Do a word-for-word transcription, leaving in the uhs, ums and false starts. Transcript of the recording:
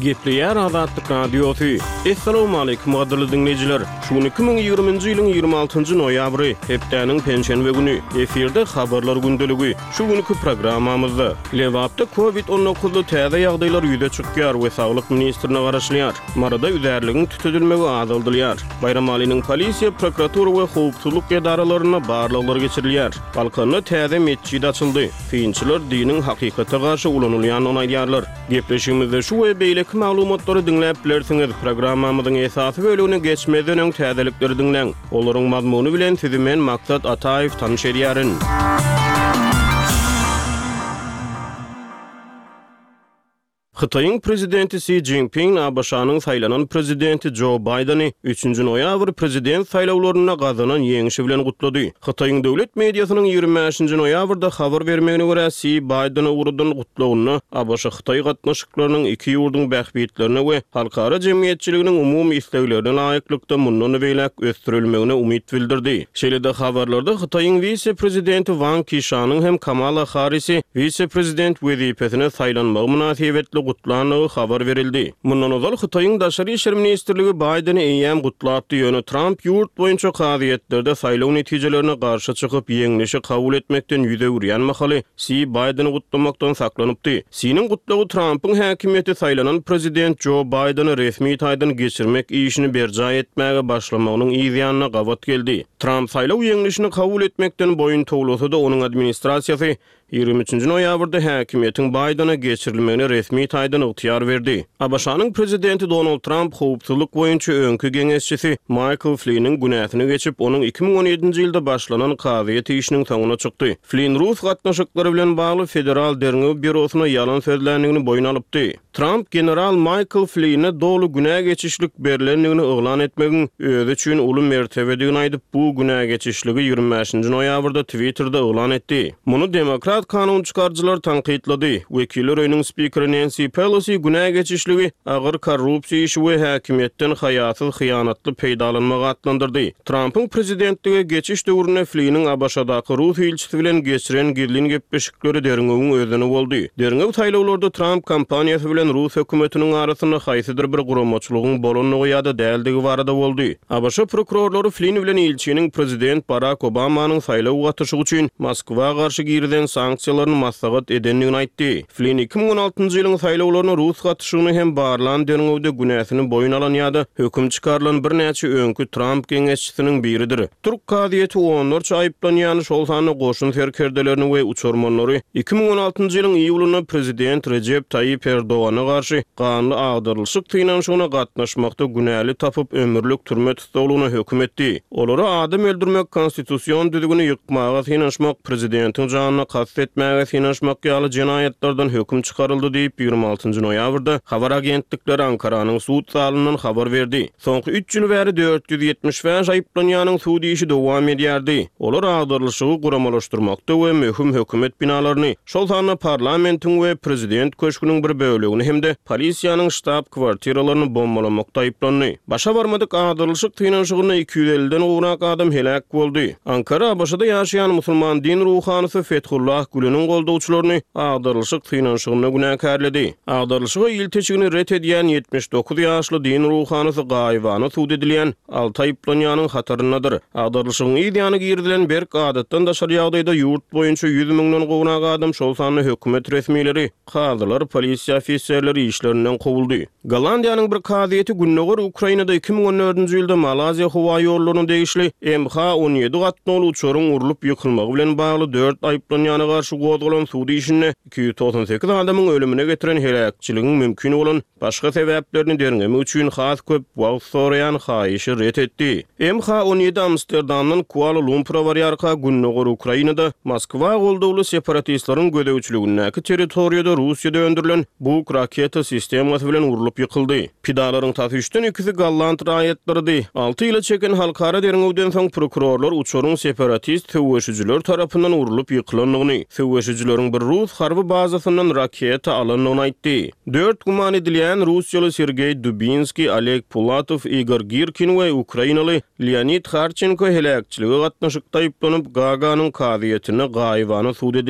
Gepleýär Azatlyk Radiosy. Essalawmaleýkim gadyrly diňleýjiler! Şu gün iki müň ýigriminji ýylyň ýigrimi altynjy noýabry, hepdäniň penşenbe güni. Efirde Habarlar gündeligi. Şu günki programmamyzda, Lebapda Covid on dokuzly täze ýagdaýlar ýüze çykýar we saglyk ministrine garaşylýar. Maryda üzärligiň tütedilmegi azaldylýar. Baýramalynyň polisiýa, prokuratura we howpsuzlyk edaralarynda barlaglar geçirilýär. Balkanda täze metjit açyldy. Synçylar diniň hakykata garşy ulanylýandygyny aýdýarlar. Gepleşigimizde şu we beýleki maglumatlary diňläp bilersiňiz. Programmamyzyň esasy bölegine geçmezden öň täzelikleri diňläň. Olaryň mazmuny bilen sizi men Maksat Ataýew tanyş edýärin. Hytaýyň prezidenti Si Szinpin A B Ş-nyň saýlanan prezidenti Jo Baýdeni üçünji noýabr prezident saýlawlarynda gazanan ýeňşi bilen gutlady. Hytaýyň döwlet mediasynyň ýigrimi bäşinji noýabrda habar bermegine görä Si Baýdeni ugradan gutlagynda A B Ş Hytaý gatnaşyklarynyň iki ýurduň bähbitlerine we halkara jemgyýetçiliginiň umumy isleglerine laýyklykda mundan beýläk ösdürilmegine umyt bildirdi. Şeýle-de habarlarda Hytaýyň wise-prezidenti Wang Qishanyň hem Kamala Harrisi wise-prezident wezipesine saýlanmagy mynasybetli gutlandygy habar berildi. Mundan ozal Hytaýyň Daşary işler ministrligi Baýdeni eýýäm gutlapdy, ýöne Tramp ýurt boýunça kazyýetlerde saýlaw netijelerine garşy çykyp ýeňlişi kabul etmekden ýüz öwürýän mahaly Si Baýdeni gutlamakdan saklanypdy. Siniň gutlagy Trampyň häkimiýeti saýlanan prezident Jo Baýdeni resmi taýdan geçirmek işini berjaý etmäge başlamagynyň yz ýanyna gabat geldi. Tramp saýlaw ýeňlişini kabul etmekden boýun towlasa-da onuň administrasiýasy ýigrimi üçünji noýabrda häkimiýetiň Baýdene geçirilmegine resmi taýdan ygtyýar berdi. A B Ş-nyň prezidenti Donald Tramp howpsuzlyk boýunça öňki geňeşçisi Michael Flynn'in günäsini geçip, onuň iki müň on ýedinji ýylda başlanan kazyýet işiniň soňuna çykdy. Flynn rus gatnaşyklary bilen bagly Federal Derňew Býurosyna ýalan sözländigini boýun alypdy. Tramp general Michael Flynn'e doly günä geçişlik berlendigini yglan etmegiň özi üçin uly mertebedigini aýdyp, bu günä geçişligi ýigrimi bäşinji noýabrda Twitter'da yglan etdi. Muny demokrat kanun çykaryjylar tankytlady. Wekiller öýüniň spikeri Nancy Pelosi günä geçişligi agyr korrupsiýa işi we häkimiýetden haýasyz hyýanatly peýdalanmagy atlandyrdy. Trumpyň prezidentlige geçiş döwründe Flynn'in A B Ş-daky rus ilçisi bilen geçiren gizlin gepleşikleri derňewiň özeni boldy. Derňew saýlawlarda Trump kampaniýasy bilen rus hökümetiniň arasynda haýsydyr bir guramaçylygyň bolandygy ýa-da däldigi barada boldy. A B Ş prokurorlary Flynn bilen ilçiniň prezident Barack Obamanyň saýlaw gatyşygy üçin Moskwa garşy girizen sanksiýalaryny maslahat edendigini aýtdy. Flynn iki müň on altynjy ýylyň saýlawlaryna rus gatyşygyny hem barlan derňewde günäsini boýun alan ýa-da höküm çykarylan birnäçe öňki Trump geňeşçisiniň biridir. Türk kazyýeti onlarça aýyplanýany şol sanda goşun serkerdelerini we uçarmanlary iki müň on altynjy ýylyň iýulynda prezident Rejep Taýyp Erdogana garşy ganly agdarylyşyk synanyşygyna gatnaşmakda günäli tapyp ömürlik türme tussaglygyna höküm etdi. Olara adam öldürmek, konstitusion düzgüni ýykmaga synanyşmak, prezidentiň janyna kast etmäge synanyşmak ýaly jenaýatlardan höküm çykaryldy diýip ýigrimi altynjy noýabrda habar agentlikleri Ankaranyň sud zalyndan habar berdi. Soňky üç ýyl bäri dört ýüz ýetmiş bäş aýyplanýanyň sud işi dowam edýärdi. Olar agdarylyşygy guramalaşdyrmakda we möhüm hökümet binalaryny, şol sanda parlamentiň we prezident köşgüniň bir bölegini hem-de polisiýanyň ştab kwartiralaryny bombalamakda aýyplandy. Başa barmadyk agdarylyşyk synanyşygynda iki ýüz elliden gowrak adam heläk boldy. Ankara A B Ş-da ýaşaýan musulman din ruhanysy Fethullah Güleniň goldawçylaryny agdarylyşyk synanyşygynda günäkärledi. Agdarylyşyga ilteçigini ret edýän ýetmiş dokuz ýaşly din ruhanysy gaýybana sud edilýän alty aýyplanýanyň hataryndadyr. Agdarylyşygyň yz ýany girizilen berk adatdan daşary ýagdaýda ýurt boýunça ýüz müňden gowrak adam, şol sanda hökümet resmileri, kazylar, polisiýa ofiserleri işlerinden kowuldy. Gollandiýanyň bir kazyýeti Gündogar Ukrainada iki müň on dördünji ýylda Malaziýa howa ýollaryna degişli M H on ýedi gatnawly uçaryň urlup ýykylmagy bilen bagly dört aýyplanýana garşy gozgalan sud işinde iki ýüz togsan sekiz adamyň ölümine getiren heläkçiligiň mümkin bolan başga sebäplerini derňemek üçin has köp wagt soraýan haýyşy ret etdi. M H on ýedi Amsterdamdan Kuala Lumpura barýarka Gündogar Ukrainada Moskwa goldawly separatistleriň gözegçiligindäki territoriýada Russiýada öndürilen Buk raketa sistemasy bilen urlup ýykyldy. Pidalaryň tas üçden ikisi golland raýatlarydy. Alty ýyla çeken halkara derňewden soň prokurorlar uçaryň separatist söweşijiler tarapyndan urlup ýykylandygyny, söweşijileriň bir rus harby bazasyndan raketa alandygyny aýtdy. Dört güman edilýän Russiýaly Sergey Dubinskiý, Oleg Pulatow, Igor Girkin we Ukrainaly Leonid Harçenko heläkçilige gatnaşykda aýyplanyp, Gaganyň kazyýetinde gaýybana sud edilýär.